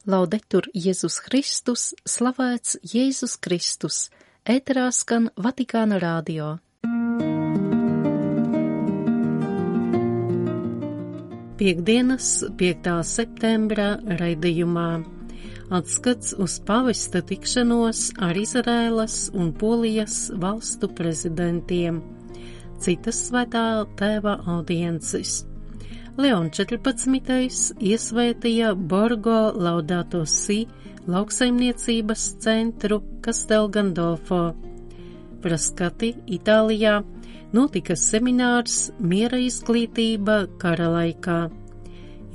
Laudetur Jēzus Kristus, slavēts Jēzus Kristus, ēterā skan Vatikāna radio. Piektdienas, 5. septembra raidījumā atskats uz pavesta tikšanos ar Izraēlas un Polijas valstu prezidentiem, citas svētā tēva audiences. Leon 14. iesvētīja Borgo Laudato Si lauksaimniecības centru Castel Gandolfo. Frascati, Itālijā, notika seminārs Miera izglītība kara laikā.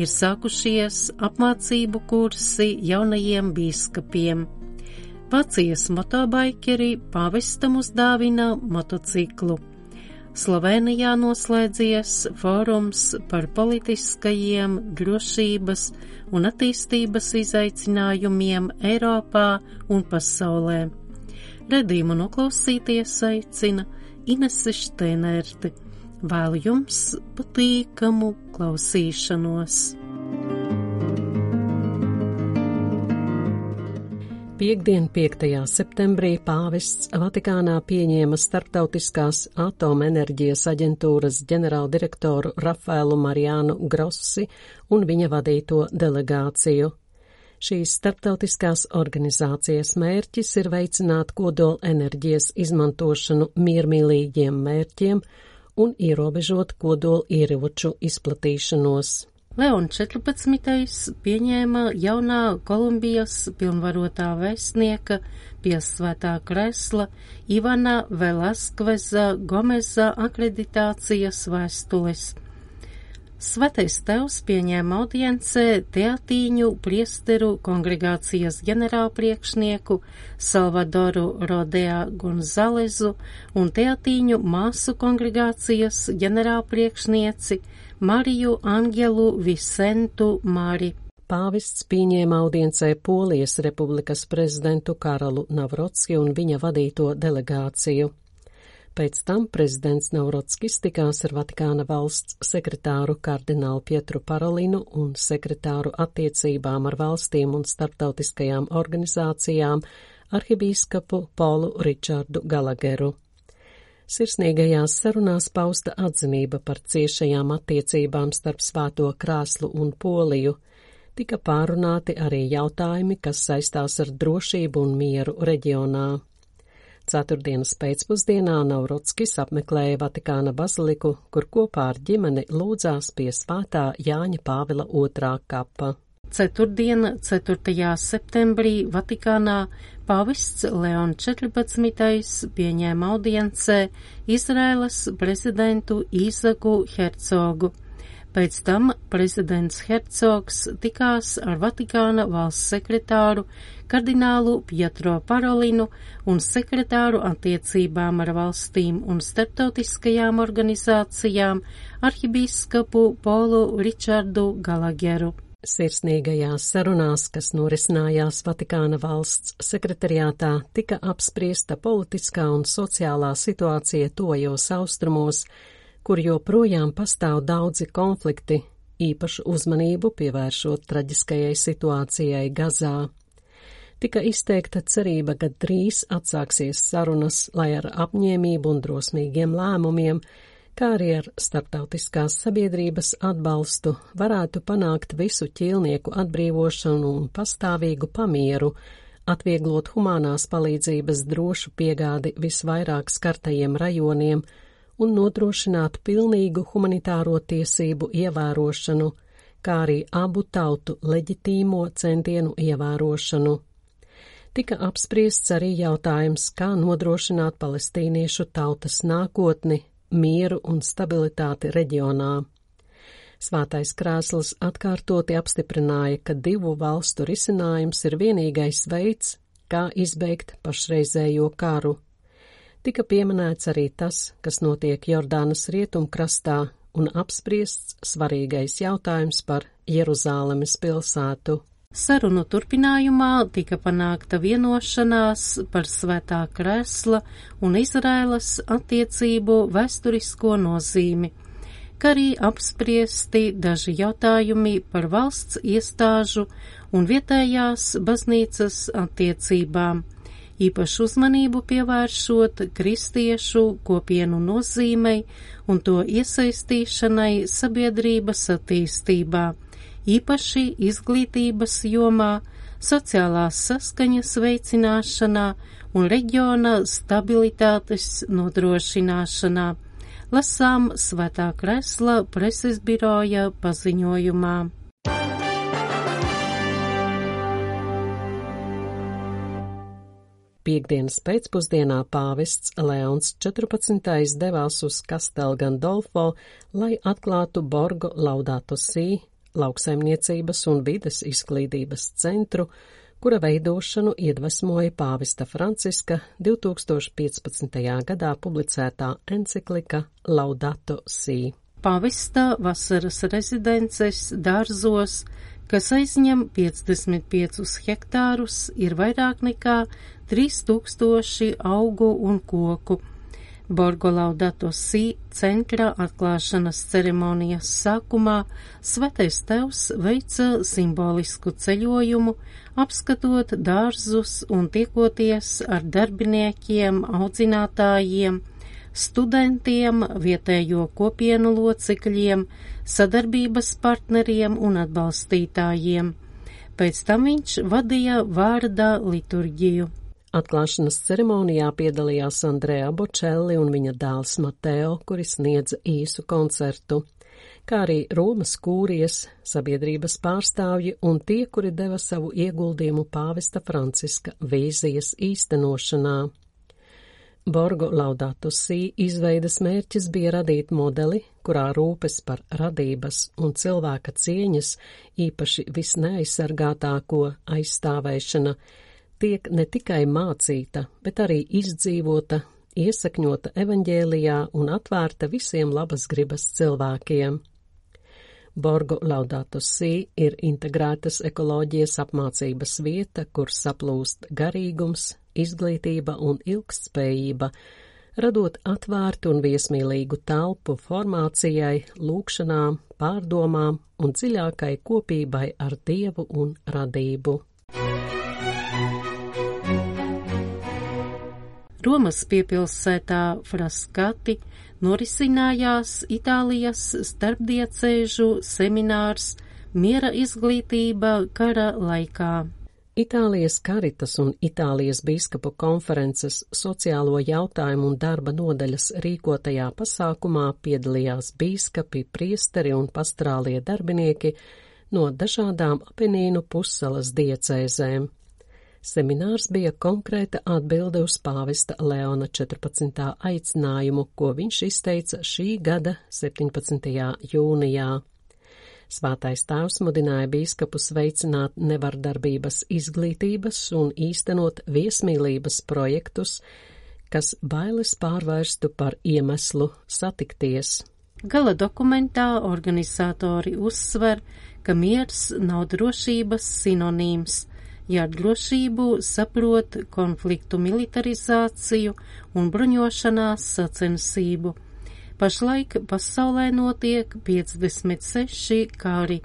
Ir sākušies apmācību kursi jaunajiem bīskapiem. Vācijas motobaikeri pāvestam uzdāvina motociklu. Slovenijā noslēdzies fórums par politiskajiem, drošības un attīstības izaicinājumiem Eiropā un pasaulē. Redījumu noklausīties aicina Inese Šteinerte. Vēlu jums patīkamu klausīšanos. Piektdien, 5. septembrī pāvests Vatikānā pieņēma Starptautiskās atomenerģijas aģentūras ģenerāldirektoru Rafaelu Mariānu Grossi un viņa vadīto delegāciju. Šīs starptautiskās organizācijas mērķis ir veicināt kodola enerģijas izmantošanu miermīlīgiem mērķiem un ierobežot kodola ieroču izplatīšanos. Leon 14. pieņēma jaunā Kolumbijas pilnvarotā vēstnieka pie svētā kresla Ivana Velaskveza Gomeza akreditācijas vēstules. Svētais tevs pieņēma audiencē Teatīņu priesteru kongregācijas ģenerālpriekšnieku Salvadoru Rodea Gonzalezu un Teatīņu māsu kongregācijas ģenerālpriekšnieci Mariju Angelu Visentu Mari. Pāvests pieņēma audiencē Polijas republikas prezidentu Karolu Navrocki un viņa vadīto delegāciju. Pēc tam prezidents Navrotskis tikās ar Vatikāna valsts sekretāru kardinālu Pietru Parolinu un sekretāru attiecībām ar valstīm un starptautiskajām organizācijām arhibīskapu Polu Ričardu Galageru. Sirsnīgajās sarunās pausta atzinība par ciešajām attiecībām starp Svēto krēslu un Poliju. Tika pārunāti arī jautājumi, kas saistās ar drošību un mieru reģionā. Ceturtdienas pēcpusdienā Navrotskis apmeklēja Vatikāna baziliku, kur kopā ar ģimeni lūdzās pie Svētā Jāņa Pāvila II kapa. Ceturtdiena, 4. septembrī Vatikānā pāvests Leon 14. pieņēma audiencē Izraēlas prezidentu Īzaku Hercogu. Pēc tam prezidents Hercogs tikās ar Vatikāna valsts sekretāru kardinālu Pietro Parolinu un sekretāru attiecībām ar valstīm un starptautiskajām organizācijām arhibīskapu Polu Ričardu Galageru. Sirsnīgajās sarunās, kas norisinājās Vatikāna valsts sekretariātā, tika apspriesta politiskā un sociālā situācija tuvajos austrumos, kur joprojām pastāv daudzi konflikti, īpašu uzmanību pievēršot traģiskajai situācijai Gazā. Tika izteikta cerība, ka drīz atsāksies sarunas, lai ar apņēmību un drosmīgiem lēmumiem, kā arī ar starptautiskās sabiedrības atbalstu varētu panākt visu ķīlnieku atbrīvošanu un pastāvīgu pamieru, atvieglot humānās palīdzības drošu piegādi visvairāk skartajiem rajoniem un nodrošināt pilnīgu humanitāro tiesību ievērošanu, kā arī abu tautu leģitīmo centienu ievērošanu. Tika apspriests arī jautājums, kā nodrošināt palestīniešu tautas nākotni, mieru un stabilitāti reģionā. Svētais krēsls atkārtoti apstiprināja, ka divu valstu risinājums ir vienīgais veids, kā izbeigt pašreizējo karu. Tika pieminēts arī tas, kas notiek Jordānas rietumkrastā, un apspriests svarīgais jautājums par Jeruzālemes pilsētu. Sarunu turpinājumā tika panākta vienošanās par Svētā krēsla un Izraēlas attiecību vēsturisko nozīmi. kā arī apspriesti daži jautājumi par valsts iestāžu un vietējās baznīcas attiecībām, īpašu uzmanību pievēršot kristiešu kopienu nozīmei un to iesaistīšanai sabiedrības attīstībā, īpaši izglītības jomā, sociālās saskaņas veicināšanā un reģiona stabilitātes nodrošināšanā. Lasām Svētā Kresla preses biroja paziņojumā. Piektdienas pēcpusdienā pāvests Leons 14. devās uz Castel Gandolfo, lai atklātu Borgo Laudato Si, lauksaimniecības un vides izglītības centru, kura veidošanu iedvesmoja pāvesta Franciska 2015. gadā publicētā enciklika Laudato Si. Pāvesta vasaras rezidences dārzos, kas aizņem 55 hektārus, ir vairāk nekā 3000 augu un koku. Borgo Laudato Si centra atklāšanas ceremonijas sākumā Svētais Tevs veica simbolisku ceļojumu, apskatot dārzus un tiekoties ar darbiniekiem, audzinātājiem, studentiem, vietējo kopienu locekļiem, sadarbības partneriem un atbalstītājiem. Pēc tam viņš vadīja vārda liturģiju. Atklāšanas ceremonijā piedalījās Andrea Bocelli un viņa dēls Mateo, kuri sniedza īsu koncertu, kā arī Romas kūrijas, sabiedrības pārstāvji un tie, kuri deva savu ieguldījumu pāvesta Franciska vīzijas īstenošanā. Borgo Laudato Si izveidas mērķis bija radīt modeli, kurā rūpes par radības un cilvēka cieņas, īpaši visneaizsargātāko aizstāvēšana, tiek ne tikai mācīta, bet arī izdzīvota, iesakņota evaņģēlijā un atvērta visiem labas gribas cilvēkiem. Borgo Laudato Si ir integrētas ekoloģijas apmācības vieta, kur saplūst garīgums, izglītība un ilgtspējība, radot atvērtu un viesmīlīgu telpu formācijai, lūkšanām, pārdomām un dziļākai kopībai ar Dievu un radību. Romas piepilsētā Frascati norisinājās Itālijas starpdiecēžu seminārs Miera izglītība kara laikā. Itālijas Karitas un Itālijas bīskapu konferences sociālo jautājumu un darba nodaļas rīkotajā pasākumā piedalījās bīskapi, priesteri un pastorālie darbinieki no dažādām Apenīnu pussalas diecēzēm. Seminārs bija konkrēta atbilde uz pāvesta Leona 14. aicinājumu, ko viņš izteica šī gada 17. jūnijā. Svētais Tēvs mudināja bīskapus veicināt nevardarbības izglītības un īstenot viesmīlības projektus, kas bailes pārvērstu par iemeslu satikties. Gala dokumentā organizatori uzsver, ka miers nav drošības sinonīms, ja ar drošību saprot konfliktu militarizāciju un bruņošanās sacensību. Pašlaik pasaulē notiek 56 kari.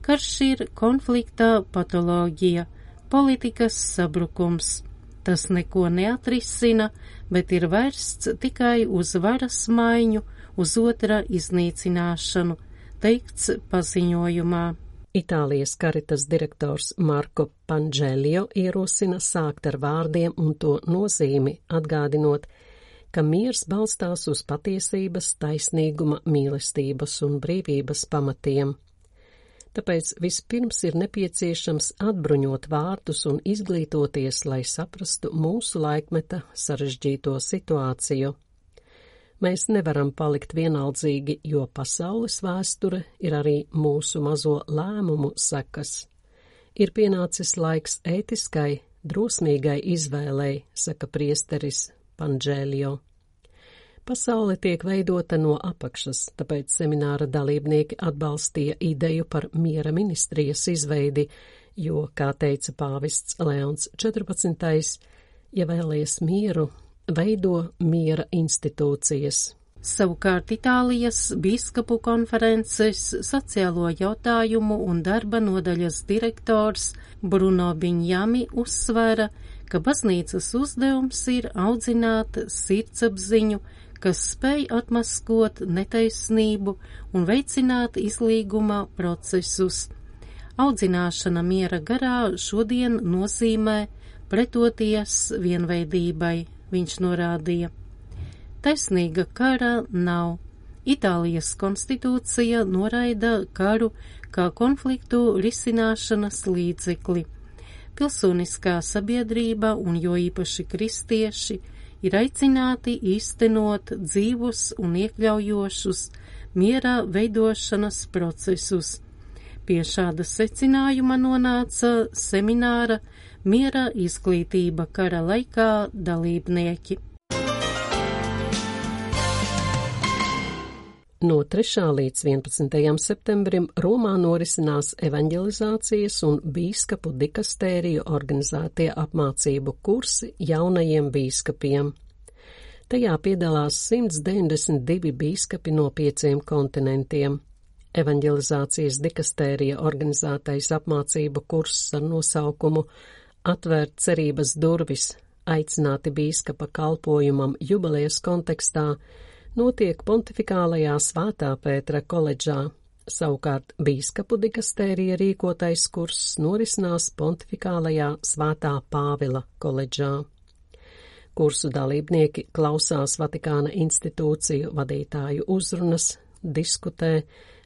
Karš ir konflikta patoloģija, politikas sabrukums. Tas neko neatrisina, bet ir vērsts tikai uz varas maiņu, uz otra iznīcināšanu, teikts paziņojumā. Itālijas Karitas direktors Marko Pangelio ierosina sākt ar vārdiem un to nozīmi, atgādinot, ka miers balstās uz patiesības, taisnīguma, mīlestības un brīvības pamatiem. Tāpēc vispirms ir nepieciešams atbruņot vārdus un izglītoties, lai saprastu mūsu laikmeta sarežģīto situāciju. Mēs nevaram palikt vienaldzīgi, jo pasaules vēsture ir arī mūsu mazo lēmumu sekas. Ir pienācis laiks ētiskai, drosmīgai izvēlei, saka priesteris Pangelio. Pasaule tiek veidota no apakšas, tāpēc semināra dalībnieki atbalstīja ideju par miera ministrijas izveidi, jo, kā teica pāvests Leons 14., ja vēlies mieru, veido miera institūcijas. Savukārt Itālijas bīskapu konferences sociālo jautājumu un darba nodaļas direktors Bruno Biņjami uzsvēra, ka baznīcas uzdevums ir audzināt sirdsapziņu, kas spēj atmaskot netaisnību un veicināt izlīguma procesus. Audzināšana miera garā šodien nozīmē pretoties vienveidībai, viņš norādīja. Taisnīga kara nav. Itālijas konstitūcija noraida karu kā konfliktu risināšanas līdzekli. Pilsoniskā sabiedrība un jo īpaši kristieši ir aicināti īstenot dzīvus un iekļaujošus miera veidošanas procesus. Pie šāda secinājuma nonāca semināra Miera izglītība kara laikā dalībnieki. No 3. līdz 11. septembrim Romā norisinās evaņģelizācijas un bīskapu dikastēriju organizētie apmācību kursi jaunajiem bīskapiem. Tajā piedalās 192 bīskapi no 5 kontinentiem. Evaņģelizācijas dikastērija organizētais apmācību kurss ar nosaukumu Atvērt cerības durvis, aicināti bīskapa kalpojumam jubilejas kontekstā, notiek Pontifikālajā Svētā Pētera koledžā. Savukārt bīskapu dikastērija rīkotais kurss norisinās Pontifikālajā Svētā Pāvila koledžā. Kursu dalībnieki klausās Vatikāna institūciju vadītāju uzrunas, diskutē,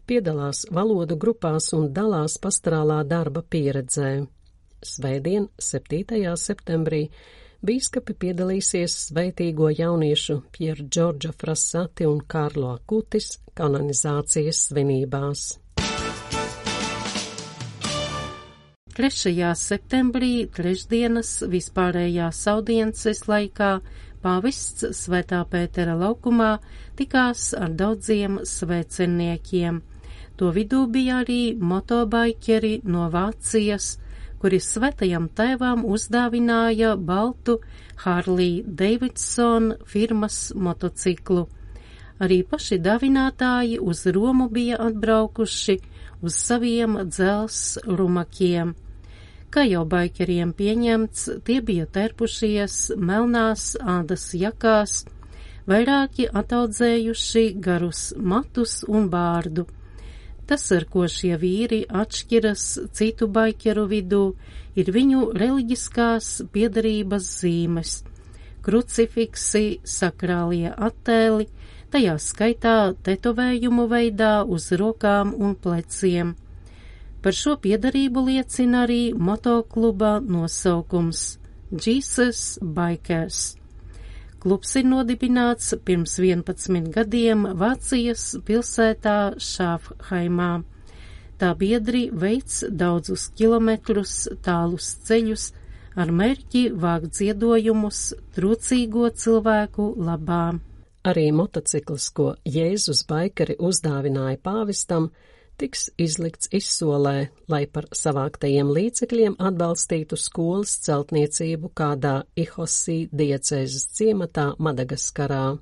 piedalās valodu grupās un dalās pastorālā darba pieredzē. Svētdien, 7. septembrī, bīskapi piedalīsies svētīgo jauniešu Pier Džordža Frassati un Karlo Akutis kanonizācijas svinībās. 3. septembrī, trešdienas vispārējās audiences laikā, pāvests Svētā Pētera laukumā tikās ar daudziem svēceniekiem. To vidū bija arī motobaikeri no Vācijas, kuri Svētajam tēvam uzdāvināja baltu Harley Davidson firmas motociklu. Arī paši dāvinātāji uz Romu bija atbraukuši uz saviem dzels rumakiem. Kā jau baikeriem pieņemts, tie bija terpušies melnās ādas jakās, vairāki ataudzējuši garus matus un bārdu. Tas, ar ko šie vīri atšķiras citu baikeru vidū, ir viņu reliģiskās piederības zīmes, krucifiksi, sakrālie attēli, tajā skaitā tetovējumu veidā uz rokām un pleciem. Par šo piederību liecina arī motokluba nosaukums Jesus Bikers. Klubs ir nodibināts pirms 11 gadiem Vācijas pilsētā Šāfhaimā. Tā biedri veic daudzus kilometrus tālus ceļus ar mērķi vākt ziedojumus trūcīgo cilvēku labā. Arī motocikls, ko Jēzus baikeri uzdāvināja pāvestam, tiks izlikts izsolē, lai par savāktajiem līdzekļiem atbalstītu skolas celtniecību kādā Ihosī diecēzes ciematā Madagaskarā.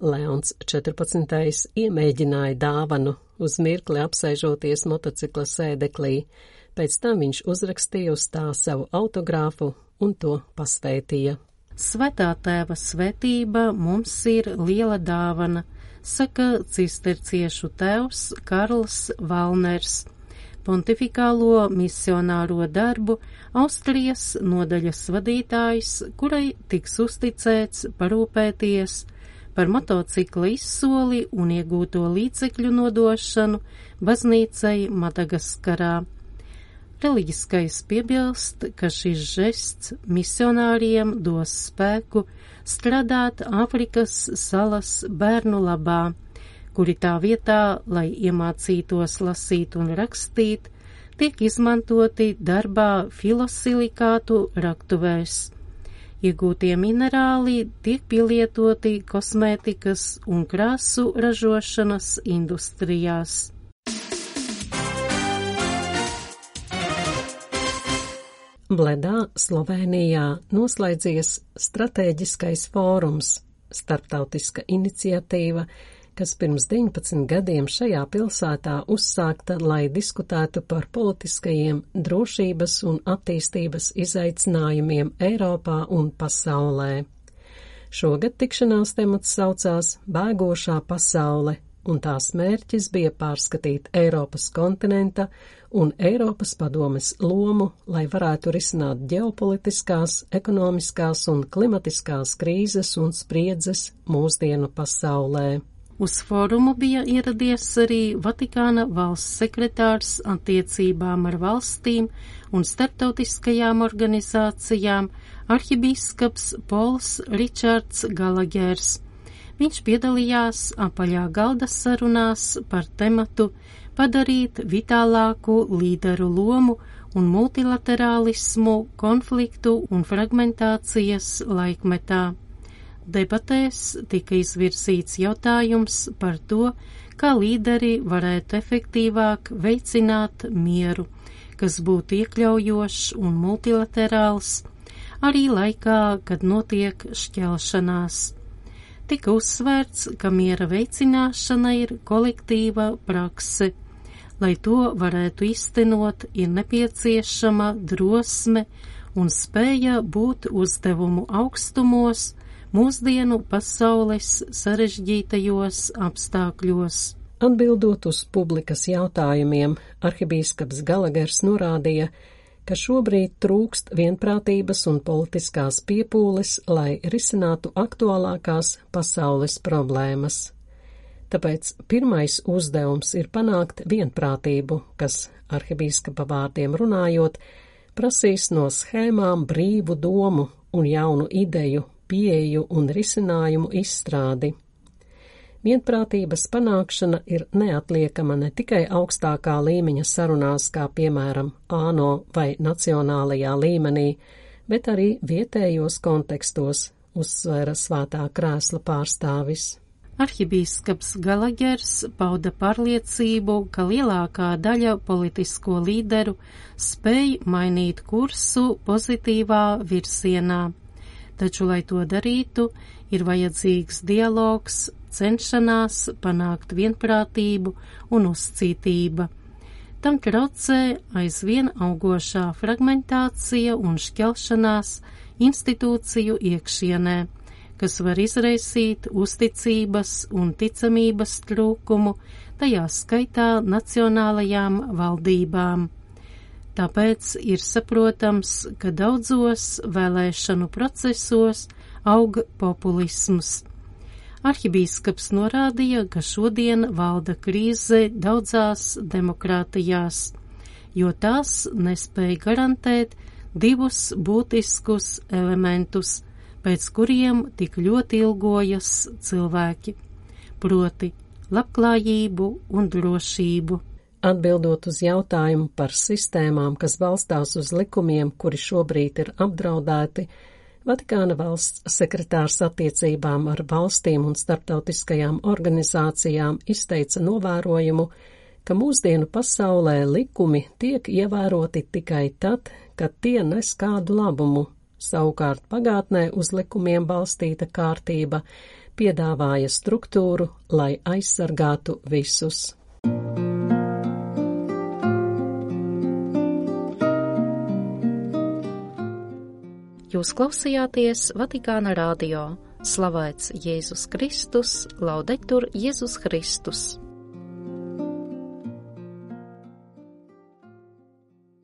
Leons 14. iemēģināja dāvanu, uz mirkli apsēžoties motocikla sēdeklī, pēc tam viņš uzrakstīja uz tā savu autogrāfu un to pasvētīja. Svētā tēva svētība mums ir liela dāvana, saka cisterciešu tēvs Karls Valners, pontifikālo misionāro darbu Austrijas nodaļas vadītājs, kurai tiks uzticēts parūpēties par motocikla izsoli un iegūto līdzekļu nodošanu baznīcai Madagaskarā. Reliģiskais piebilst, ka šis žests misionāriem dos spēku strādāt Āfrikas salas bērnu labā, kuri tā vietā, lai iemācītos lasīt un rakstīt, tiek izmantoti darbā filosilikātu raktuvēs. Iegūtie minerāli tiek pielietoti kosmētikas un krāsu ražošanas industrijās. Bledā, Slovēnijā, noslēdzies stratēģiskais fórums starptautiska iniciatīva, kas pirms 19 gadiem šajā pilsētā uzsākta, lai diskutētu par politiskajiem, drošības un attīstības izaicinājumiem Eiropā un pasaulē. Šogad tikšanās temats saucās Bēgošā pasaule, un tās mērķis bija pārskatīt Eiropas kontinenta un Eiropas padomes lomu, lai varētu risināt ģeopolitiskās, ekonomiskās un klimatiskās krīzes un spriedzes mūsdienu pasaulē. Uz fórumu bija ieradies arī Vatikāna valsts sekretārs attiecībām ar valstīm un starptautiskajām organizācijām arhibīskaps Pols Ričards Galagers. Viņš piedalījās apaļā galda sarunās par tematu padarīt vitālāku līderu lomu un multilaterālismu konfliktu un fragmentācijas laikmetā. Debatēs tika izvirzīts jautājums par to, kā līderi varētu efektīvāk veicināt mieru, kas būtu iekļaujošs un multilaterāls, arī laikā, kad notiek šķelšanās. Tika uzsvērts, ka miera veicināšana ir kolektīva prakse. Lai to varētu īstenot, ir nepieciešama drosme un spēja būt uzdevumu augstumos, mūsdienu pasaules sarežģītajos apstākļos. Atbildot uz publikas jautājumiem, arhibīskaps Galagers norādīja, ka šobrīd trūkst vienprātības un politiskās piepūles, lai risinātu aktuālākās pasaules problēmas. Tāpēc pirmais uzdevums ir panākt vienprātību, kas, arhibīskapa vārdiem runājot, prasīs no schēmām brīvu domu un jaunu ideju, pieeju un risinājumu izstrādi. Vienprātības panākšana ir neatliekama ne tikai augstākā līmeņa sarunās, kā piemēram ANO vai nacionālajā līmenī, bet arī vietējos kontekstos, uzsvēra Svētā krēsla pārstāvis. Arhibīskaps Galagers pauda pārliecību, ka lielākā daļa politisko līderu spēj mainīt kursu pozitīvā virzienā. Taču, lai to darītu, ir vajadzīgs dialogs, cenšanās panākt vienprātību un uzcītība. Tam traucē aizvien augošā fragmentācija un šķelšanās institūciju iekšienē, kas var izraisīt uzticības un ticamības trūkumu, tajā skaitā nacionālajām valdībām. Tāpēc ir saprotams, ka daudzos vēlēšanu procesos aug populisms. Arhibīskaps norādīja, ka šodien valda krīze daudzās demokrātijās, jo tās nespēja garantēt divus būtiskus elementus, pēc kuriem tik ļoti ilgojas cilvēki, proti labklājību un drošību. Atbildot uz jautājumu par sistēmām, kas balstās uz likumiem, kuri šobrīd ir apdraudēti, Vatikāna valsts sekretārs attiecībām ar valstīm un starptautiskajām organizācijām izteica novērojumu, ka mūsdienu pasaulē likumi tiek ievēroti tikai tad, kad tie nes kādu labumu. Savukārt pagātnē uz likumiem balstīta kārtība piedāvāja struktūru, lai aizsargātu visus. Jūs klausījāties Vatikāna radio. Slavēts Jēzus Kristus, laudetur Jēzus Kristus.